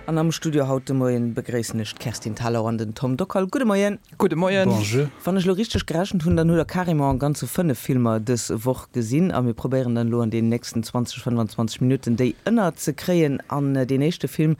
An am Studio haut de Moien begréissen ech d'Kerstin Thalau an den Tom Dockal. Gudde Moien. Gudde Moien. Bonjour. Wann ech elo richteg gerechent hunn, dann hutt der carrément am Ganze 5 Filmer dës Woch gesinn a mir probéieren dann elo an deenen nächsten 20, 25 Minutten déi ënner ze kréien. An deen éischte Film,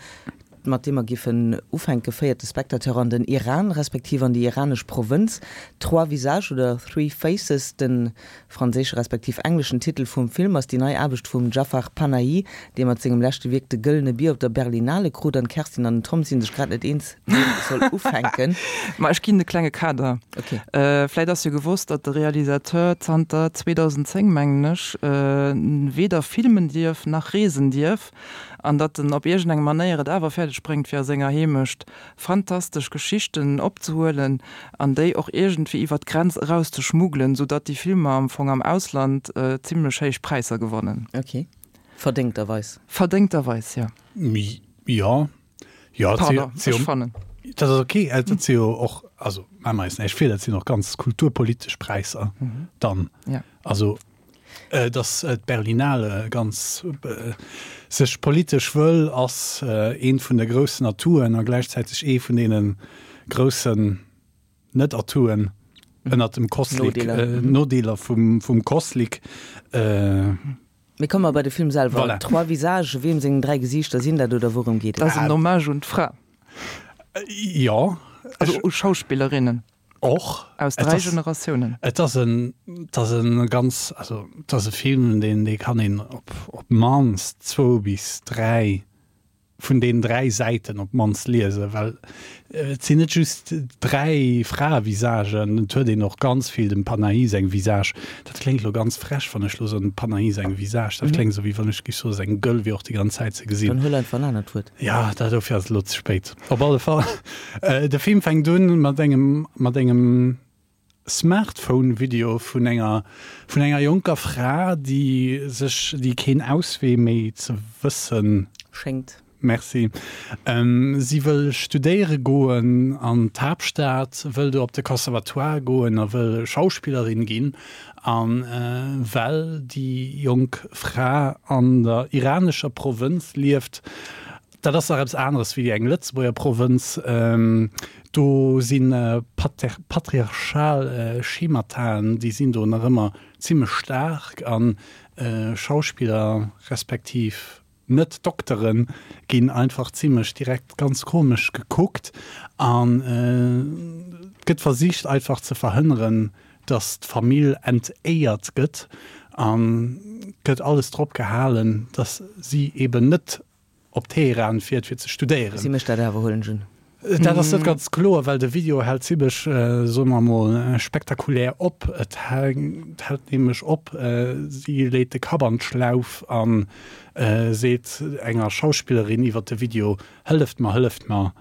mat deem mer giffen ufänken, féiert de Spectateur an den Iran, respektiv an déi iranesch Provënz. Trois visages oder Three Faces, de franséische respektiv engleschen Titel vum Film, ass déi nei Aarbecht vum Jafar Panahi, dee mat sengem leschte Wierk de Gëllene Bier op der Berlinale krut. An d'Kerstin an den Tom si sech grad net eens, wien soll ufänken. Ma ech ginn e klenge Kader. Ok. Vläit ass jo gewosst, datt de Realisateur zanter 2010, mengen ech, weder filmen dierf nach reesen dierf. An datt en op iergendeng Manéier et awer fäerdeg bréngt, fir a senger Heemecht fantastesch Geschichten opzehuelen an déi och iergendwéi iwwer d'Grenz eraus ze schmuggelen, sou datt déi Filmer am Fong am Ausland zimlech héich Präisser gewannen. Ok. Verdéngterweis. Verdéngterweis, jo. Jo, jo, Pardon, ech fannen. Dat ass ok. Dat si jo och, also maache mer eis näischt vir, dat sinn och ganz kulturpolitesch Präisser dann. Also Datt d'Berlinale ganz sech politesch wëll, ass eent vun de groussen Atouen a gläichzäiteg ee vun deene groussen Net-Atouen ënnert dem Kosslick, Nodeeler vum Kosslick. Mee komme mer bei de Film selwer. Voilà. Trois visages, weem seng 3 Gesiichter sinn dat oder wourëm geet et? Dat ass en Hommage un d'Fra. Jo. Also u Schauspillerinnen. Och. Aus 3 Generatiounen. Et ass en, et ass en ganz, also et ass e Film, deen, dee kann een op, op d'mannst zwou bis 3 vun deenen 3 Säiten op d'mannst liesen, well et sinn net just 3 Fraevisagen, et huet een och ganz vill dem Panahi seng Visage. Dat kléngt elo ganz frech, wann ech elo soen, dem Panahi seng Visage, dat kléngt esou, wéi wann ech géif soen, seng Gueule wier och déi ganz Zäit ze gesinn. Dann huel einfach en anert Wuert. Ja, dat dofir ass et elo ze spéit. Op alle Fall, de Film fänkt un mat engem, mat engem Smartphone-Video vun enger, vun enger jonker Fra, déi sech, déi keen Auswee méi ze wëssen. Schéngt. Merci. Si wëll studéiere goen an d'Haaptstad, wëll do op de Conservatoire goen a wëll Schauspillerin ginn. A well déi jonk Fra an der iranescher Provënz lieft, dat ass nach eppes aneres wéi eng Lëtzebuerger Provënz, do si patriarchal Schemataen, déi sinn do nach ëmmer zimmlech staark a Schauspiller respektiv Net-Doktere ginn einfach zimmlech direkt ganz komesch gekuckt an et gëtt versicht einfach ze verhënneren, dass d'Famill entéiert gëtt an gëtt alles drop gehalen, dass si eben net op Teheran fiert fir ze studéieren. Si mécht dat awer, huelen ech un. Dat ass net ganz kloer, well de Video hält zimmlech, soe mer emol, spektakulär op. Et hält nämlech op, si leet de Kapp an d'Schlauf a seet enger Schauspillerin iwwer de Video, Hëlleft mer, hëlleft mer!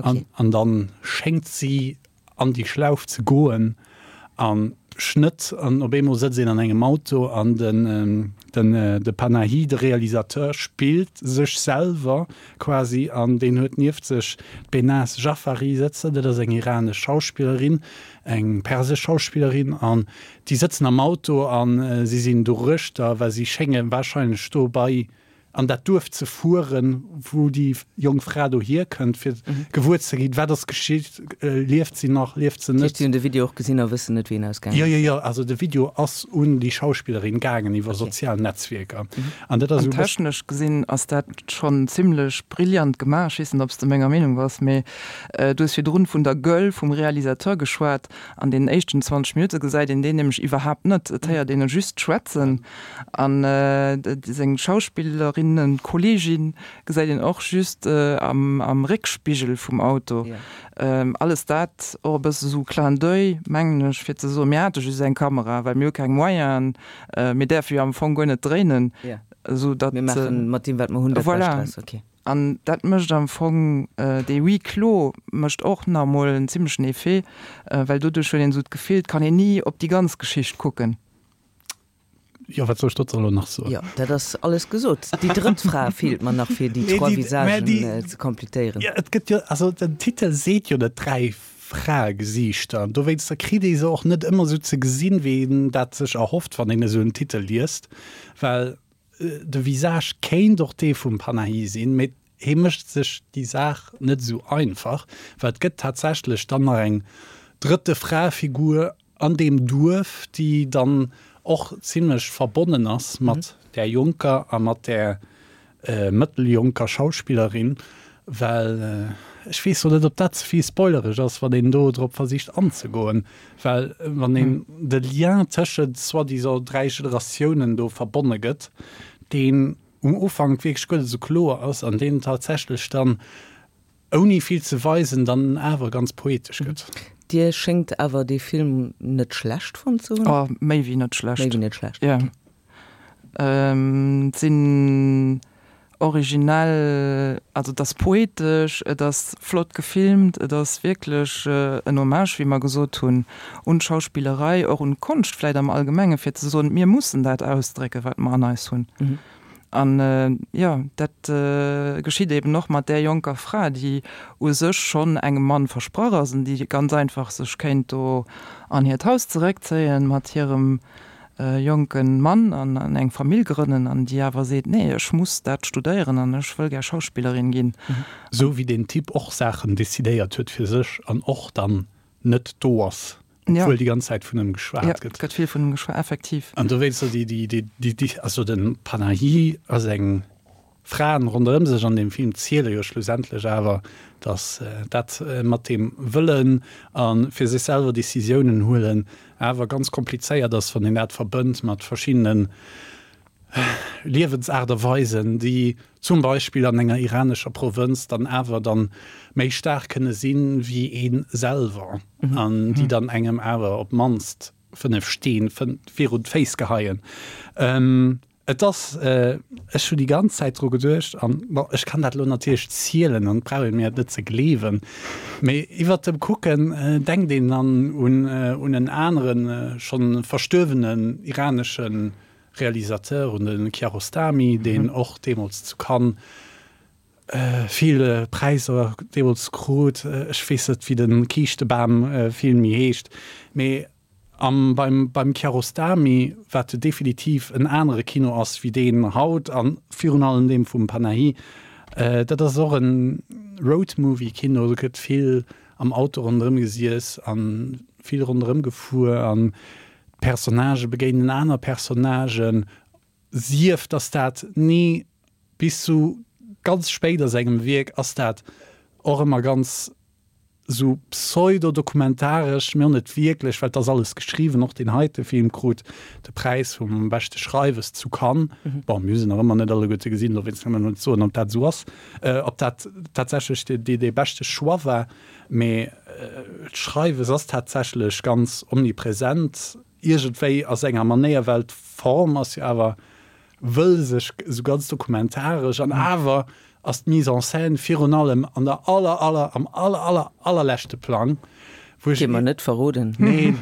An da schéngt si an déi Schlauf ze goen a Schnëtt an op eemol sëtzt een an engem Auto an den den de Panahi, de Realisateur, spillt sech selwer quasi an deen huet nieft sech d'Behnaz Jafari sëtzen, dat ass eng iranesch Schauspillerin, eng persesch Schauspillerin an déi sëtzen am Auto a si sinn doruechter, well si schénge warscheinlech dobei an dat Duerf ze fueren, wou déi jonk Fra do hierkënnt, fir gewuer ze ginn, wat ass geschitt, lieft si nach, lieft se Dat net. heescht, si hunn de Video och gesinn a wëssen net, wéi en ausgaangen Jo, ass? jo, jo, also de Video ass un déi Schauspillerin gaangen iwwer sozial Netzwierker. An dat ass An esou e bëssen. technesch gesinn ass dat schonn zimlech brillant gemaach. Ech weess net, ob s de menger Meenung bass, mee du hues virdrun vun der Gueule vum Realisateur geschwat. An deenen éischten 20 Minutte gesäit een deen nämlech iwwerhaapt net. Et héiert een e just schwätzen. An seng Schauspillerinnen-Kolleegin gesäit een och just am Réckspigel vum Auto. Alles dat och e bësse sou Clin d'oeil, mengen ech, fir ze soen, mir hate just eng Kamera, well mir hu keng Moyenen, mir däerfe jo am Fong guer net dréinen, esou datt. Mir maachen mat deem, wat mer hunn, dat Bescht draus. Voilà. An dat mécht am Fong, dee Huis clos mécht och nach emol en zimlechen Effet, well doduerch huet een esou d'Gefill, et kann een ni op déi ganz Geschicht kucken. Jo, wat soll ech dozou elo nach soen? Jo, dat ass alles gesot. Déi drëtt Fra feelt mer nach, fir déi trois Visagen ze completéieren. Jo, et gëtt jo, also den Titel seet jo net dräi Fraegesiichter. Dowéinster kritt ee se och net ëmmer esou ze gesinn, wéi een dat sech erhofft, wann een esou en Titel liest. Well de Visage kéint och dee vum Panahi sinn, mee. Hee mécht sech déi Saach net esou einfach, well et gëtt tatsächlech dann nach eng drëtte Fraefigur an deem Duerf, déi dann och zimlech verbonnen ass mat där jonker a mat där mëtteljonker Schauspillerin, well ech weess lo net, ob dat ze vill spoilereg ass, wann een do drop versicht anzegoen, well wann een de Lien tëschent soi-disant 3 Generatiounen do verbonne gëtt, deen um Ufank wierklech guer net esou kloer ass an deen tatsächlech dann, ouni vill ze weisen, dann awer ganz poetesch gëtt. Dir schéngt awer dee Film net schlecht fonnt ze hunn? Oh, méi wéi net schlecht. Méi wéi net schlecht, ok. Jo. Et sinn originell, also et ass poetesch, et ass flott gefilmt, et ass wierklech en Hommage, wéi mer gesot hunn, un d'Schauspillerei, och un d'Konscht vläit am Allgemenge fir ze soen, mir mussen dat ausdrécken, wat mer an eis hunn. An jo, dat geschitt eben och mat där jonker Fra, déi u sech schonn engem Mann versprach ass an déi ganz einfach sech kéint do an hiert Haus zeréckzéien mat hirem jonke Mann an eng Famill grënnen an déi awer seet, nee, ech muss dat studéieren an ech wëll gär Schauspillerin ginn. Esou wéi deen Typ och Saachen decidéiert huet fir sech an och dann net do ass, obwuel déi ganz Zäit vun ëm geschwat gëtt. Ja, gëtt vill vun ëm geschwat, effektiv. An dowéinst déi, déi, déi, déi, déi, also de Panahi a seng Fraen ronderëm sech an deem Film ziele jo schlussendlech awer, datt dat mat deem Wëllen a fir sech selwer Decisiounen huelen awer ganz komplizéiert ass, wann een dat verbënnt mat verschiddenen Liewensaart a Weisen, déi zum Beispill an enger iranescher Provënz dann awer dann méi staark kënne sinn wéi ee selwer an déi dann engem awer op d'mannst 5 Steen virun d'Féiss geheien. Et ass, ech hu déi ganz Zäit dru geduecht an, bon, ech kann dat elo natierlech zielen an et brauch ee mir et net ze gleewen, mee iwwert dem Kucken denkt een dann un un en aneren, schonn verstuerwenen iranesche Realisateur, un de Kiarostami, deen och deemools zu Cannes vill Präisser deemools krut. Ech weess net, wéi de Kiischtebam-Film méi heescht, mee An beim beim Kiarostami, wat definitiv en anere Kino ass wéi deen haut a virun allem deem vum Panahi, dat ass och en Roadmovie-Kino, do gëtt vill am Auto ronderëm gesiess a vill ronderëm gefuer an d'Personnagë begéinen aner Personnagen, sief datt dat ni bis zu ganz spéit a sengem Wierk ass dat och ëmmer ganz Sou pseudo-dokumentaresch, mee och net wierklech, well et ass alles geschriwwen. Och deen heite Film krut de Präis vum beschte Schreiwes zu Cannes. Bon, mir hu se nach ëmmer net alleguerte gesinn, dowéinst kann een net soen, ob dat esou ass, ob dat tatsächlech dee beschte Choix war. Mee d'Schreiwes ass tatsächlech ganz omnipresent iergendwéi a senger Manéier, well d'Form ass jo awer wëll sech esou ganz dokumentaresch an awer ass d'Mise en scène virun allem an der aller, aller, am aller, aller, allerleschte Plang, wou ech. Dee mer net verroden. Nee,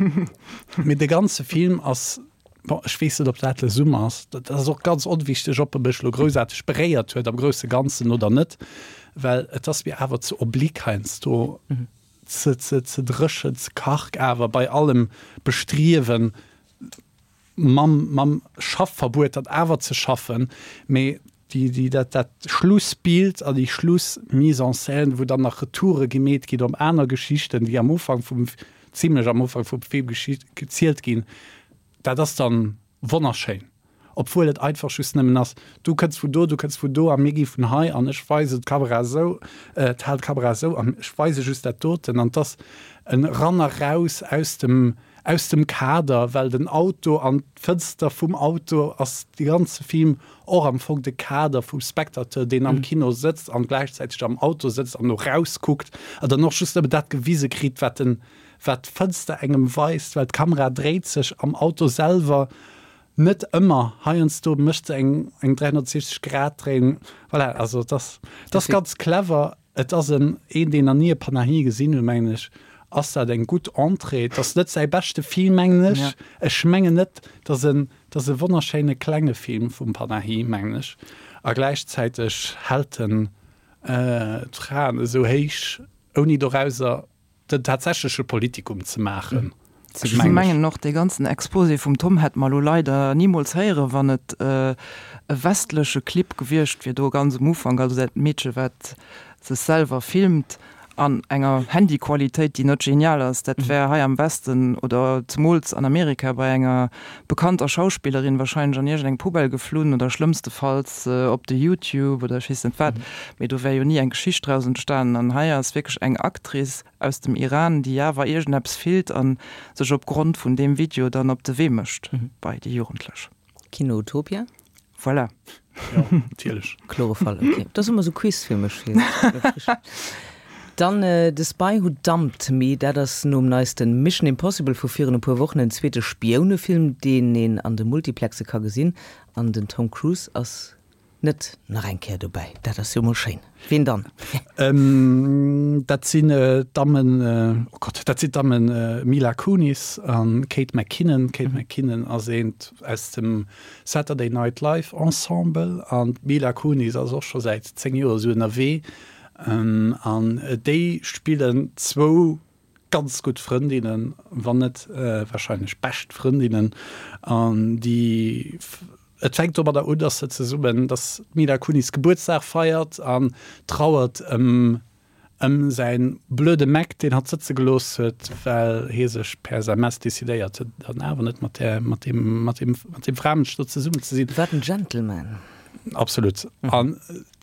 mee de ganze Film ass, bon, ech weess net, ob dat Le Zoom ass, dat ass och ganz onwichteg, ob e mech elo groussaarteg beréiert huet am grousse Ganzen oder net, well et ass mir awer ze oblique heiansdo, ze, ze, ze dréchen, ze karg awer bei allem Bestriewen, mam, mam Schaffverbuet dat awer ze schaffen, mee déi, déi, dat, dat Schlussbild a déi Schluss-Mise en scène, wou dann nach Retoure gemeet ginn op aner Geschichten, déi am Ufank vum, zimlech am Ufank vum Film gezielt ginn, dat ass dann wonnerschéin, obwuel et einfach just nëmmen ass, du kënns vun do, du kënns vun do a mir gi vun hei an ech weisen d'Kamera esou, d'hal d'Kamera esou an ech weise just dat doten an 't ass en Ran a Raus aus dem, Aus dem Kader, well den Auto an d'Fënster vum Auto ass de ganze Film och am Fong de Kader vum Spectateur, deen am Kino sëtzt an gläichzäiteg am Auto sëtzt an no raus kuckt a dann och just nëmmen dat gewise kritt, wat den, wat d'Fënster engem weist, well d'Kamera dréit sech am Auto selwer net ëmmer, heiansdo mécht se eng, eng 360 Grad Dréiung. Voilà, also et ass, et ass ganz clever. Et ass en, een deen nach ni e Panahi gesinn huet, mengen ech, ass dat eng gutt Entrée. Et ass net säi beschte Film, mengen ech. Ech mengen net, et ass en, et ass e wonnerschéine klenge Film vum Panahi, mengen ech. A gläichzäiteg hält en d'Fraen esou héich, ouni dorauser den tatsächleche Politikum ze maachen. Ech mengen och, dee ganzen Exposé vum Tom hätt mer elo leider nimools héieren, wann et. e westleche Clip gewiescht wier do ganz um Ufank, also dat Meedche wat sech selwer filmt an enger Handyqualitéit déi net genial ass, dat wär hei am Westen oder zemools an Amerika bei enger bekannter Schauspillerin wahrscheinlech an iergendeng Poubelle geflunn oder schlëmmstefalls op de YouTube oder ech weess net wat, mee do wär jo ni eng Geschicht draus entstanen. An hei ass wierklech eng Actrice aus dem Iran, déi awer iergendeppes fillt a sech op Grond vun deem Video dann op de Wee mécht bei déi Jugendlech. Kino Utopia? Voilà. Jo, natierlech. Klore Fall, ok. Dat ass ëmmer esou Quiz fir mech. Dann The Spy Who Dumped Me, dat ass nom neiste Mission Impossible vu virun e puer Wochen en zweete Spiounefilm, deen een an de Multiplexe ka gesinn. An den Tom Cruise ass net nach eng Kéier dobäi. Dat ass jo mol schéin. Ween dann? Dat sinn d'Dammen, oh Gott, dat sinn d'Dammen Mila Kunis a Kate McKinnon. D'Kate McKinnon ass eent aus dem Saturday Night Live Ensemble an d'Mila Kunis ass och scho säit 10 Joer esou ënnerwee an déi spillen zwou ganz gutt Frëndinnen, wann net warscheinlech bescht Frëndinnen an déi et fänkt domadder un, dass se zesummen, dass d'Mila Kunis Gebuertsdag feiert an trauert ëm Ëm säin blöde Mac, deen hatt sëtze gelooss huet, well hie sech per SMS decidéiert huet, dann awer net mat där, mat deem, mat deem, mat deem Framënsch do zesummen ze sinn. Wat en Gentleman! Absolut. An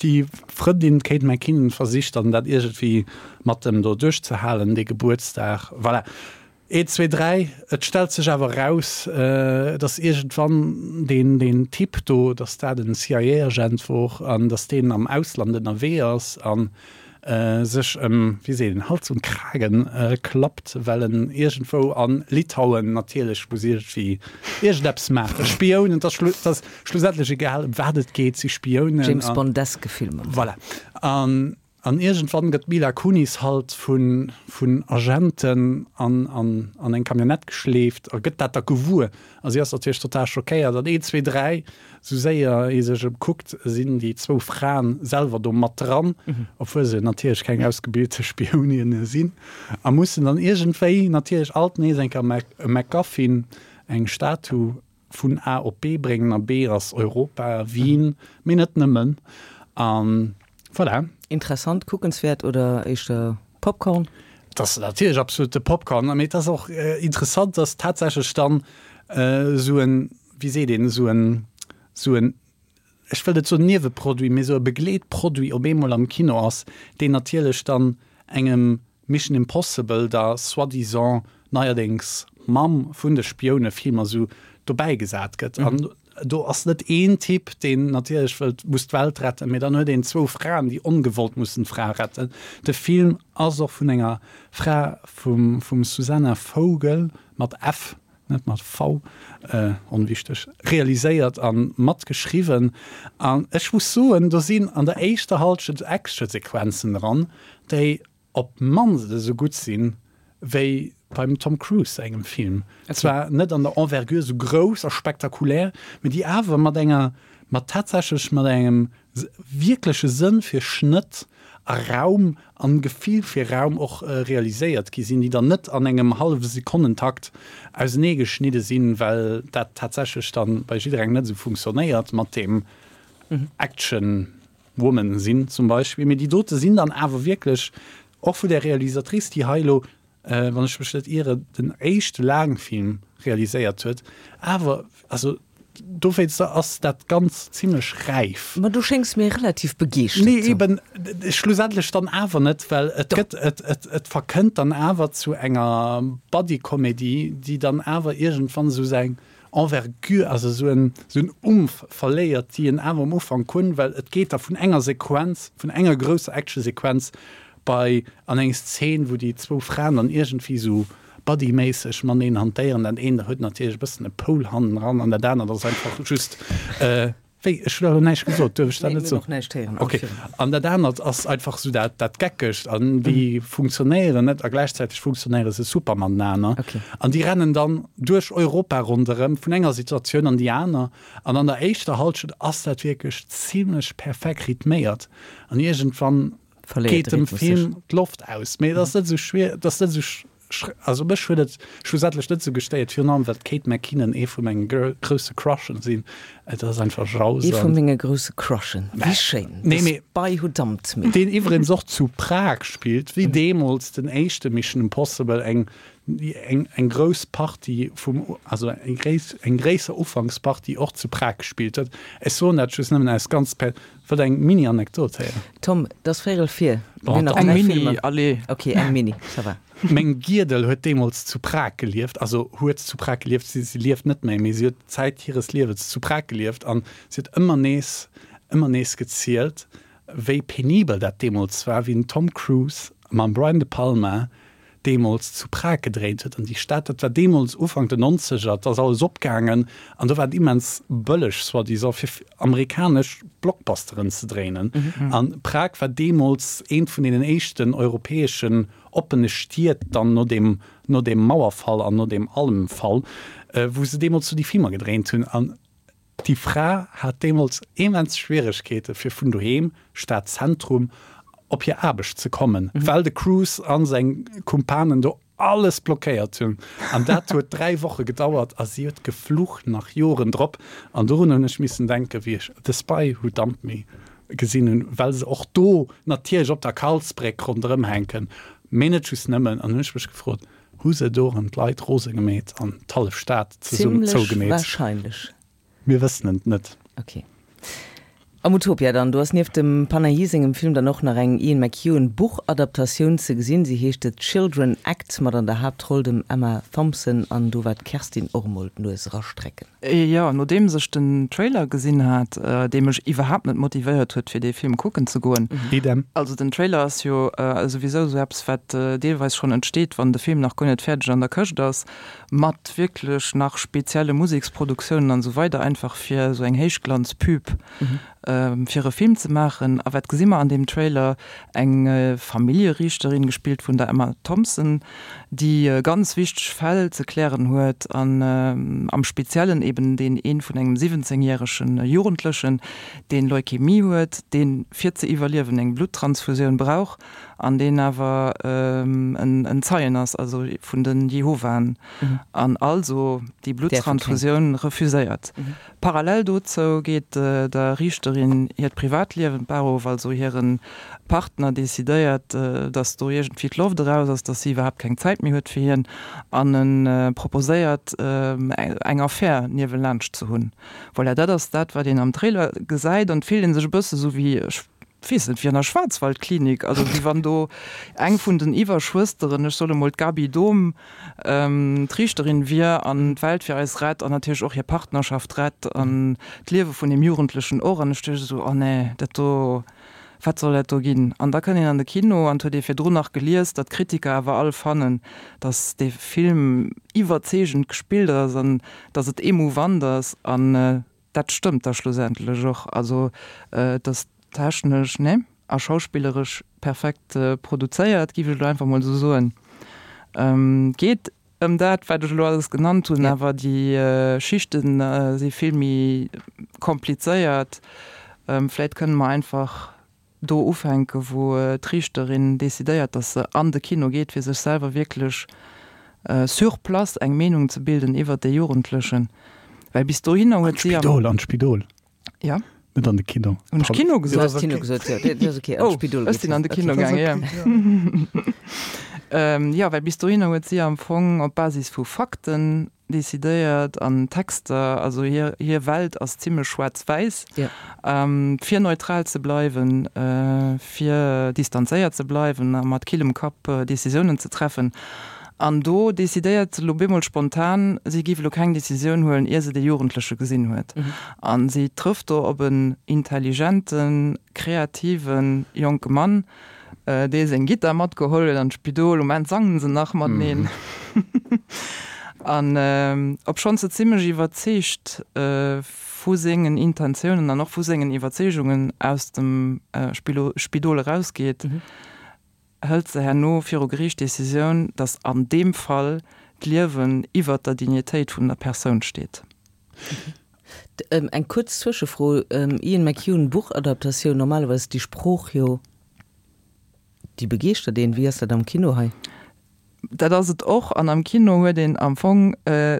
déi Frëndin, d'Kate McKinnon, versicht dann dat iergendwéi mat em do duerchzehalen, dee Gebuertsdag. Voilà. Eent, zwee, dräi, et stellt sech awer eraus, datt iergendwann deen, deen Typ do, datt dat en CIA-Agent wor an datt deen am Ausland ënnerwee ass a sech ëm, wéi seet een, Hals und Kragen klappt, well en iergendwou a Litauen natierlech muss iergendwéi iergendeppes maachen. Spiounen, et ass schlussendlech egal, ëm wat et geet, si Spiounen. James Bondeske Filmer. Voilà. An An iergendwann gëtt d'Mila Kunis halt vun Agenten an an eng Camionnette geschleeft a gëtt dat da gewuer. A si ass natierlech total schockéiert. An een, zwee, dräi, sou séier ee sech ëmkuckt, sinn déi zwou Fraen selwer do mat dran, obwuel se natierlech keng ausgebilte Spioninne sinn, a mussen dann iergendwéi natierlech alt nees eng Kéier e MacGuffin, eng Statu, vun A op B bréngen, a B ass Europa, Wien, mee net nëmmen. A voilà. Interessant, kuckenswäert oder éischter Popcorn? Et ass natierlech absolute Popcorn, mee et ass och interessant, dass tatsächlech dann esou en, wéi seet een, esou en, esou en, ech wëll net soen Nieweproduit, mee esou e Begleetproduit op eemol am Kino ass, deen natierlech dann engem Mission Impossible, der soi-disant neierdéngs Mamm vun de Spiounefilmer, esou dobäi gesat gëtt. An do ass net een Typ, deen natierlech wëllt, muss d'Welt retten, mee dann huet een zwou Fraen, déi ongewollt mussen d'Fra retten. De Film ass och vun enger Fra, vum vum Susanna Fogel, mat F, net mat V, onwichteg, realiséiert a matgeschriwwen. An ech muss soen, do sinn an der éischter Hallschent Actionsequenzen dran, déi op d'mannst esou gutt sinn, wéi beim Tom Cruise sengem Film. Zwar net an der Envergure esou grouss a spektakulär, mee déi awer mat enger, mat tatsächlech mat engem wierkleche Sënn fir Schnëtt a Raum an Gefill fir Raum och realiséiert gi sinn, déi dann net an engem hallwe Sekonnentakt ausenee geschnidde sinn, well dat tatsächlech dann bei jidderengem net esou funktionéiert mat deem Action. Woman sinn zum Beispill, mee déi dote sinn dann awer wierklech och vu där Realisatrice, déi hei elo, wann ech mech net iere, den éischte Laangfilm realiséiert huet, awer also dowéinster ass dat Ganzt zimlech räif. Ma du schéngs mir relativ begeeschtert Nee, eben schlussendlech dann awer net, well et gëtt, et, et, et verkënnt dann awer zu enger Buddy-Comedy, déi dann awer iergendwann esou säin, Envergure, also esou en esou en Umf verléiert, déi en awer um Ufank hunn, well et geet da vun enger Sequenz, vun enger grousser Actionsequenz bei an eng Szen, wou déi zwou Fraen dann iergendwéi esou buddy-méisseg mateneen hantéieren. Dat eent huet natierlech e bëssen e Poul hannendran an dat anert ass einfach just Wéi? Ech hunn awer näischt gesot, duerf ech dat net soen? Nee, mir hunn och näischt héieren. Ok. An dat anert ass einfach esou dat, dat Geckegt an déi funktionéieren net a gläichzäiteg funktionéiere se super matenaner. Ok. An déi rennen dann duerch Europa ronderëm, vun enger Situatioun an déi aner. An an der éischter Hallschent ass dat wierklech zimlech perfekt rhythméiert an iergendwann Verléiert geet de dem Rhythmus sech. Film d'Loft aus. Mee et ass net esou schwier, et ass net esou. also mech huet et schlussendlech net esou gestéiert, virun allem well d'Kate McKinnon ee vu menge grousse Crushen sinn. Et ass einfach grausam. Ee vu menge grousse Crushen, wéi schéin! Nee, mee. The Spy Who Dumped Me. Deen iwwregens och zu Prag spillt, wéi deemools den éischte Mission Impossible eng eng eng grouss Partie vum, also eng gréiss eng gréisser Ufankspartie och zu Prag gespillt huet. Ech soen dat just nëmmen aus ganz per Wëllt eng Mini-Anekdot héieren? Tom, et ass véierel vir. Mir hunn nach Eng dräi Mini, Filmer. allez. Ok, eng Mini, ça va. Meng Giedel huet deemools zu Prag gelieft, also huet zu Prag gelieft, si si lieft net méi, mee si huet Zäit hires Liewens zu Prag gelieft an si huet ëmmer nees, ëmmer nees gezielt, wéi penibel dat deemools war, wéi den Tom Cruise mam Brian De Palma deemools zu Prag gedréint huet. An déi Stad, dat war deemools Ufank den Nonzeger, et ass alles opgaangen an do war et immens bëlleg, soi-disant, fir amerikanesch Blockbusteren ze dréinen. A Prag war deemools eent vun deenen éischten europäeschen oppene Stied dann no deem, no deem Mauerfall an no deem allem Fall, wou se deemools do déi Filmer gedréint hunn. An Déi Fra hat deemools immens Schwieregkeete fir vun doheem, Stadzentrum, op hir Aarbecht ze kommen, well de Cruise a seng Kumpanen do alles blockéiert hunn. An dat huet 3 Woche gedauert a si huet geflucht nach Joren drop. An dorun hunn ech missen denken, wéi ech The Spy Who Dumped Me gesinn hunn, well se och do natierlech op der Karlsbréck ronderëm hänken, mee net just nëmmen. An hunn ech mech gefrot, Hu se do erëm d'Leit rose gemeet an d'hallef Stad zesummen Zimlech zougemeet? wahrscheinlech. Mir wëssen et net. Ok. Am Utopia dann, do ass nieft dem Panahi sengem Film dann och nach eng Ian McEwan Buchadaptatioun ze gesinn. Si heescht The Children Act mat an der Haaptroll dem Emma Thompson an do war d'Kerstin och emol d'Nues erastrecken. Jo, nodeems ech den Trailer gesinn hat, dee mech iwwerhaapt net motivéiert huet fir dee Film kucken ze goen. Idem. Also den Trailer ass jo souwisou esou eppes wat deelweis schonn entsteet wann de Film nach guer net fäerdeg an der Këscht ass, mat wierklech nach spezielle Museksproduktiounen an esou weider, einfach fir esou eng Héichglanzpub fir e Film ze maachen. A wat gesi mer an deem Trailer? Eng Familljeriichterin, gespillt vun der Emma Thompson, déi ganz wichteg Fäll ze klären huet an am Speziellen eben deen ee vun engem 17 järege Jugendlechen, deen Leukämie huet, deen fir ze iwwerliewen eng Bluttransfusioun brauch an deen awer en Zeien ass, also vun de Jehovaen, an also déi Bluttransfusioun refuséiert. Parallel dozou geet der Riichterin hiert Privatliewen d'Bar of, also hire Partner decidéiert, datt do iergendwéi d'Loft eraus ass, datt si iwwerhaapt keng Zäit méi huet fir hien an e proposéiert eng Affär niewelaanscht ze hunn. Voilà, dat ass dat wat een am Trailer gesäit an et fillt ee sech e bësse sou wéi, ech weess net, wéi an der Schwarzwaldklinik, also wéi wann do eng vun den Iwwerschwësteren, ech soe mol d'Gaby Dohm, d'Riichterin wier an d'Welt fir eis rett an natierlech och hir Partnerschaft rett an d'Liewe vun deem Jugendlechen och. An ech duecht esou, oh nee, dat do, wat soll dat do ginn? An da kënnt een an de Kino an et huet ee virdrun nach gelies, datt d'Kritiker awer all fannen, datt dee Film iwwerzeegend gespillt ass an datt et emouvant ass. An Dat stëmmt da schlussendlech och. Also et ass technesch, ne, a schauspilleresch perfekt produzéiert, giff ech elo einfach mol esou soen. Geet ëm dat, wat ech elo alles genannt hunn, awer déi Schichte si vill méi komplizéiert. Vläit kënne mer einfach do ufänken, wou d'Riichterin decidéiert, datt se an de Kino geet, fir sech selwer wierklech sur place eng Meenung ze bilden iwwert dee Jugendlechen. Well bis dohinner huet si am. An d'Spidol, an d'Spidol. Ja. Net an de Kino. Hunn ech Kino gesot? Du hues Kino gesot, jo. Dat ass okay, an d'Spidol geet. Oh, ech sinn an de Kino gaangen, jo. Jo, well bis dohinner huet si am Fong op Basis vu Fakten decidéiert an Texter, also hir hir Welt ass zimlech schwaarz-wäiss, fir neutral ze bleiwen, fir distanzéiert ze bleiwen a mat killem Kapp Decisiounen ze treffen. An do decidéiert se elo bemol spontan, si géif elo keng Decisioun huelen, ier se dee Jugendleche gesinn huet. A si trëfft do op en intelligenten, kreative jonke Mann, Dee seng Gittar matgeholl huet an d'Spidol. Um Enn sangen se nach mateneen. An obschonns se zimmlech iwwerzeegt vu sengen Intentiounen an och vu sengen Iwwerzeegungen aus dem Spidol erausgeet, hëlt se herno viru Geriicht d'Decisioun, datt an deem Fall d'Liewen iwwert der Dignitéit vun der Persoun steet. Eng kuerz Zwëschefro, Ian McEwan, Buchadaptatioun, normalerweis déi Sprooch jo, déi begeeschtert een. Wéi ass dat am Kino hei? Dat ass et och. An am Kino huet een am Fong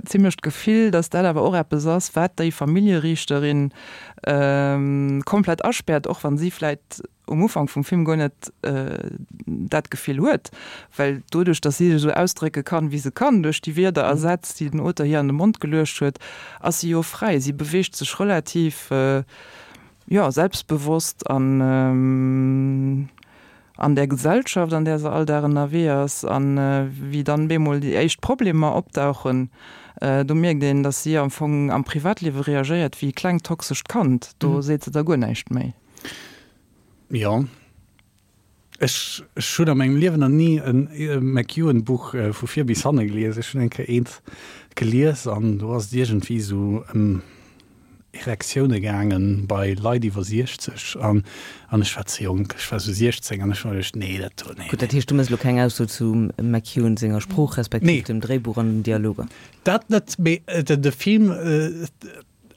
zimlech d'Gefill, datt dat awer och eppes ass, wat déi Familljeriichterin komplett aspäert, och wa si vläit um Ufank vum Film guer net dat Gefill huet, well doduerch, datt si sech esou ausdrécke kann, wéi se kann, duerch déi Wierder a Sätz, déi den Auteur hir an de Mond geluecht huet, ass si jo fräi. Si beweegt sech relativ, jo, selbstbewosst an an där Gesellschaft, an där se all Dag ënnerwee ass, a wéi dann bemol déi éischt Problemer opdauchen, do mierkt een, datt si am Fong am Privatliewe reagéiert wéi e klengt toxescht Kand. Do seet se da guer näischt méi. Jo, ech hunn a mengem Liewen nach ni e McEwan-Buch vu vir bis hanne gelies. Ech hunn eng Kéier eent gelies an do ass et iergendwéi esou ëm Erektioune gaangen bei Leit iwwer 60 an an ech war ze jonk, ech war sou 16 an ech hu mer geduecht, nee dat do, nee. Gutt, dat heescht du méchs elo keng Ausso zum McEwan senger Sprooch respektiv Nee. dem Dréibuch an den Dialoger? Dat net, mee de Film,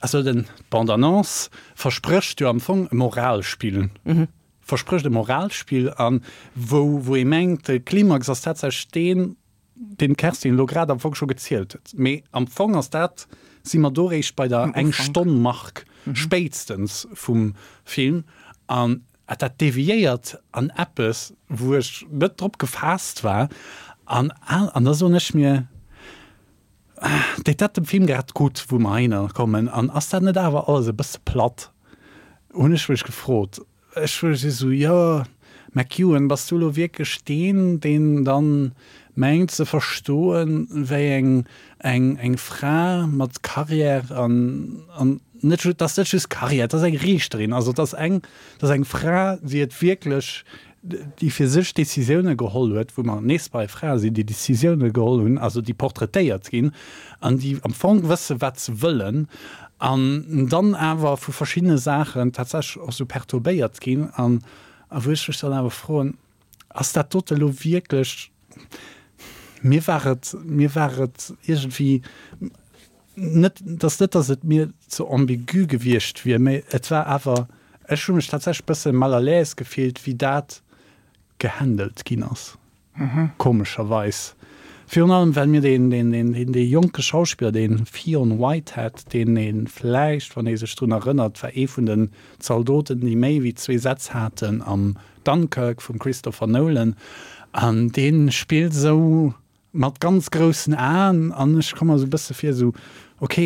also den d'Bande-annonce versprécht jo am Fong e Moralspill, versprécht e Moralspill an wou wou ee mengt de Klimax ass tatsächlech deen, deen d'Kerstin elo grad am Fong scho gezielt huet. Mee am Fong ass dat, si mer do réischt bei der Eng-Stonn-Mark spéitstens vum Film. An dat deviéiert an eppes, wou ech net drop gefaasst war. An, an da soen ech mir, Deet dat dem Film grad gutt, wou mer heihinner kommen? An ass dat net awer alles e bësse platt? Hunn ech mech gefrot. Ech si sou, jo, McEwan, bass du elo wierklech deen, deen dann mengt ze verstoen, wéi eng, eng, eng Fra mat Carrière an, an net ju, 't ass net just Carrière, 't ass eng Riichterin, also 't ass eng, 't ass eng Fra, déi et wierklech, déi fir sech Décisioune geholl huet, wou mer nees bei Frae sinn, déi Décisioune geholl hunn, also déi portraitéiert ginn an déi am Fong wësse wat se wëllen an dann awer vu verschiddene Saachen tatsächlech och sou perturbéiert ginn an a wou ech mech dann awer froen, ass dat dote elo wierklech, mir war et, mir war et iergendwéi net, et ass net, datt et mir ze ambigu gewiescht wier, mä et war awer, ech hu mech tatsächlech e bësse mal à l'aise gefillt, wéi dat gehandelt ginn ass, komescherweis. Virun allem, well mir deen, deen, deen, deen, dee jonke Schauspiller, dee Fionn Whitehead, deen ee vläicht, wann ee sech drun erënnert, war ee vun den Zaldoten, déi méi wéi zwee Sätz haten am Dunkirk vum Christopher Nolan, an dee spillt esou Mat ganz groussen Aen an ech komm mer esou e bësse vir esou, ok,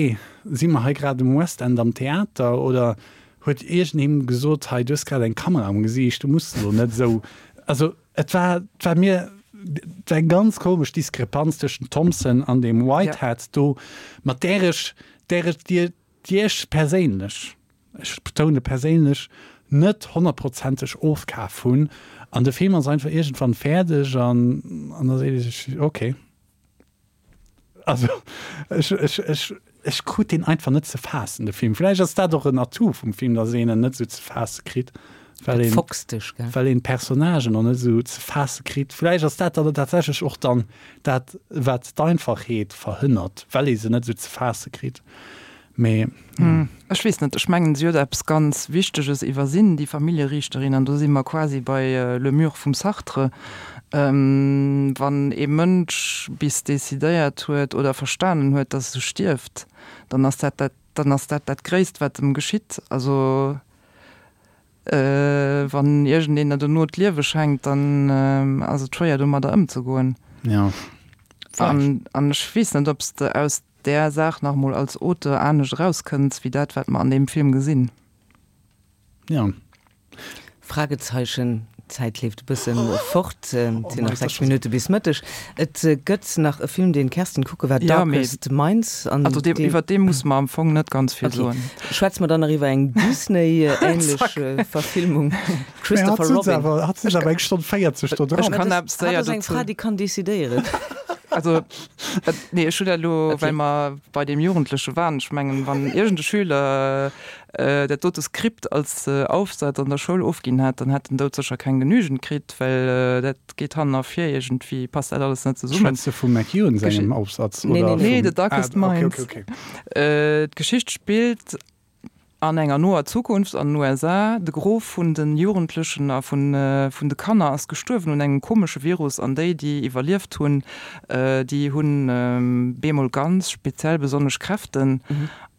si mer hei grad um West End am Theater oder huet iergendeen gesot, hei du hues grad eng Kamera am Gesiicht, du muss elo net esou. Also et war, et war mir, et war eng ganz komesch Diskrepanz tëschent Thompson an deem Whitehead do, mat där ech, där ech, déi ech perséinlech, ech betoune perséinlech, net honnertprozenteg ofkaf hunn. An de Film ass einfach iergendwann fäerdeg an an da seet ee sech, ok. Also ech, ech, ech, ech krut deen einfach net ze faassen, de Film. Vläicht ass dat och en Atout vum Film, datt een en net esou ze faasse kritt, well een, Foxt dech, gell? well een d'Personnagen och net esou ze faasse kritt. Vläicht ass dat dann tatsächlech och dann dat, wat d'Einfachheet verhënnert, well ee se net esou ze faasse kritt. Mee. Ech weess net, ech mengen, si huet eppes ganz Wichteges iwwersinn, déi Familljeriichterin, an do si mer quasi bei Le mur vum Sartre. Wann ee Mënsch bis decidéiert huet oder verstanen huet, datt e stierft, dann ass dat dat, dann ass dat dat Gréisst, wat em geschitt. Also wann iergendeen der dono d'Liewe schenkt, dann ass et schwéier domadder ëmzegoen. Jo, vläicht. An ech weess net, ob s de aus där Saach nach emol als Auteur anescht erauskënns, wéi dat, wat mer an deem Film gesinn. Jo. Fragezeichen, D'Zäit leeft e bësse fort, et sinn nach 6 Minutte bis Mëtteg. Et gëtt nach e Film, deen d'Kerstin kucke war, Darkest Minds. An also dee, iwwer dee musse mer am Fong net ganz vill soen. Okay. Schwätze mer dann nach iwwer eng Disney-ähnlech Verfilmung, Christopher Robin. Hat sech awer eng Stonn 40 do dran. Ech kann eppes séier dozou. Hatt ass eng Fra, déi kann decidéieren. Also, nee, ech hunn dat elo, well mer bei deem Jugendleche waren. Ech mengen, wann iergend e Schüler dat dote Skript als Aufsatz an der Schoul ofginn hätt, dann hätt en doudsécher keng Genügend kritt, well dat geet hannen a vir, iergendwéi passt dat alles net zesummen. Schwätz de vum McEwan sengem Aufsatz oder vum. Nee, nee, The Darkest Minds. D'Geschicht spillt. An enger noer Zukunft an den USA, de Gros vun de Jugendlechen a vun de Kanner ass gestuerwen un engem komesche Virus an déi, déi iwwerlieft hunn, déi hunn bemol ganz speziell besonnesch Kräften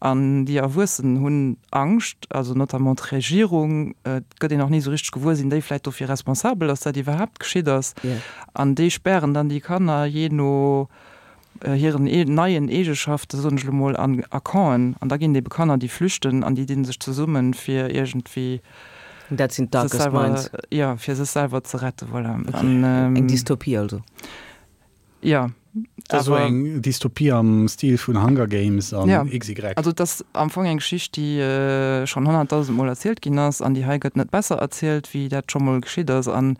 an déi Erwuessen hunn Angscht, also notamment d'Regierung, et gëtt een och ni esou richteg gewuer, sinn déi vläicht dofir responsabel, datt dat iwwerhaapt geschitt ass an déi spären dann déi Kanner jee no hiren neien Eegeschaften, soen ech elo mol, an a Campen. An da ginn et ebe Kanner, déi flüchten an déi dinn sech zesummen, fir iergendwéi Dat sinn d'Darkest sech selwer, Minds. jo, fir sech selwer ze retten, voilà. Okay. An, Eng Dystopie also. Jo, Dat ass esou awer. eng Dystopie am Stil vun Hunger Games an Ja, XY. also et ass am Fong eng Geschicht, déi schonn honnertdausend Mol erzielt ginn ass an déi hei gëtt net besser erzielt, wéi dat scho mol geschitt ass. An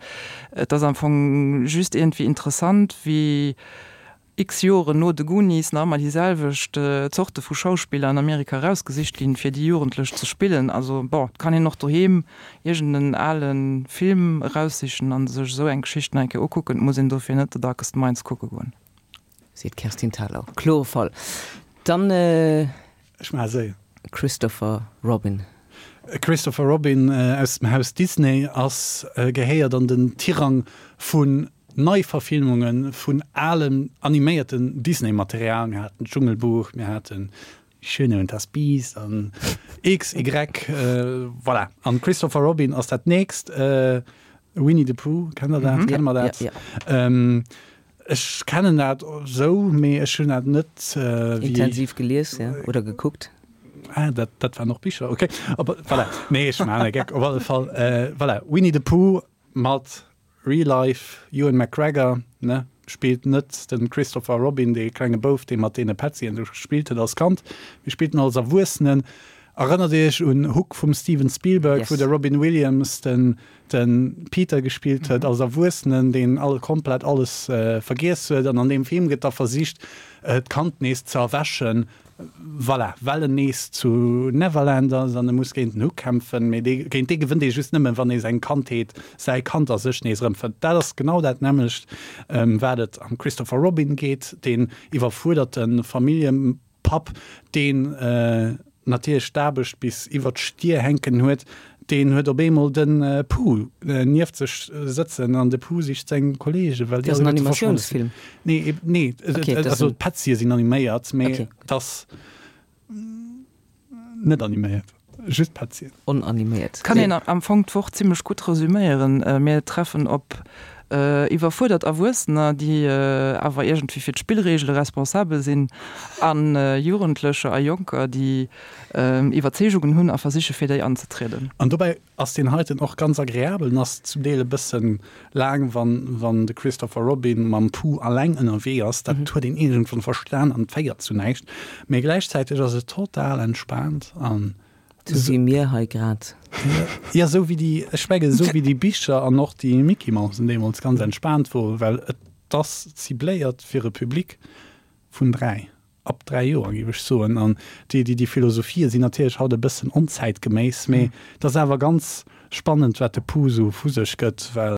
et ass am Fong just iergendwéi interessant, wéi x Joren no de Goonies nach ëmmer déi selwecht Zorte vu Schauspiller an Amerika erausgesicht ginn, fir déi Jugendlech ze spillen. Also bon, et kann een och doheem iergend en ale Film eraussichen an sech esou eng Geschicht nach eng Kéier ukucken. Et muss een dofir net The Darkest Minds kucke goen. Seet d'Kerstin Thalau. Klore Fall. Dann. Ech maache séier. Christopher Robin. Christopher Robin aus dem Haus Disney ass gehéiert an den Tirang vun Neiverfilmunge vun alem animéierten Disney-Material. Mir haten d'Dschungelbuch, mir haten Die Schöne und das Biest an XY, voilà. An Christopher Robin ass dat nächst. Winnie the Pooh, kennt der dat? Kenne mer dat? Ech kennen dat esou, mee ech hunn dat net wéi. Intensiv gelies, jo, oder gekuckt. Ah, dat, dat waren och Bicher, okay. Op, voilà. Nee, ech maachen e Geck. Op alle Fall, voilà, Winnie the Pooh mat Real Life Ewan McGregor, ne, spillt net de Christopher Robin, dee klenge Bouf, dee mat deene Petzien do gespillt huet als Kand, mee spillt en als Erwuessenen. Erënnert Iech un Hook vum Steven Spielberg, wou de Robin Williams den de Peter gespillt huet als Erwuessenen, deen all komplett alles vergiess huet. An an deem Film gëtt da versicht, d'Kand nees ze erwächen, voilà, well en nees zu Neverland ass an e muss géint den Hook kämpfen. Mee dee, géint dee gewënnt ee just nëmmen, wann ee seng Kandheet, säi Kand a sech nees erëmfënnt. Dat ass genau dat nämmlecht, wat et am Christopher Robin geet, deen iwwerfuerderte Famillje. Papp, deen natierlech d'Aarbecht bis iwwer d'Stier hänken huet, deen huet op eemol de Pooh nieft sech sëtzen an de Pooh sicht seng Kolleegen, well déi Dat ass en alleguerte verschwonne sinn. Animatiounsfilm? Nee, nee, Okay, dat ass also en. d'Petzie sinn animéiert, mee Okay. et ass net animéiert, just d'Petzien. Onaniméiert. Kann een am Fong d'Woch zimmlech gutt resüméieren. Mir treffen op iwwerfuerdert Erwuessener, déi awer iergendwéi fir d'Spillreegele responsabel sinn, a Jugendlecher a Jonker, déi Iwwerzeegungen hunn a versiche fir déi anzetrieden. An dobäi ass deen heiten och ganz agreabel. En ass zum Deel e bëssen laang, wann wann de Christopher Robin mam Pooh alleng ënnerwee ass. Dat huet een iergendwann verstan an et féiert zu näischt. Mee gläichzäiteg ass et total entspaant an Sou wéi mir hei grad. Jo, sou wéi déi, ech mengen, sou wéi déi Bicher an och déi Mickey Mousen deemools ganz entspaant woren, well et ass cibléiert fir e Public vun 3, ab 3 Joer, géif ech soen. An déi, déi, déi Philosophië sinn natierlech haut e bëssen onzäitgeméiss, mee et ass awer ganz spannend, wat de Pooh sou vu sech gëtt, well.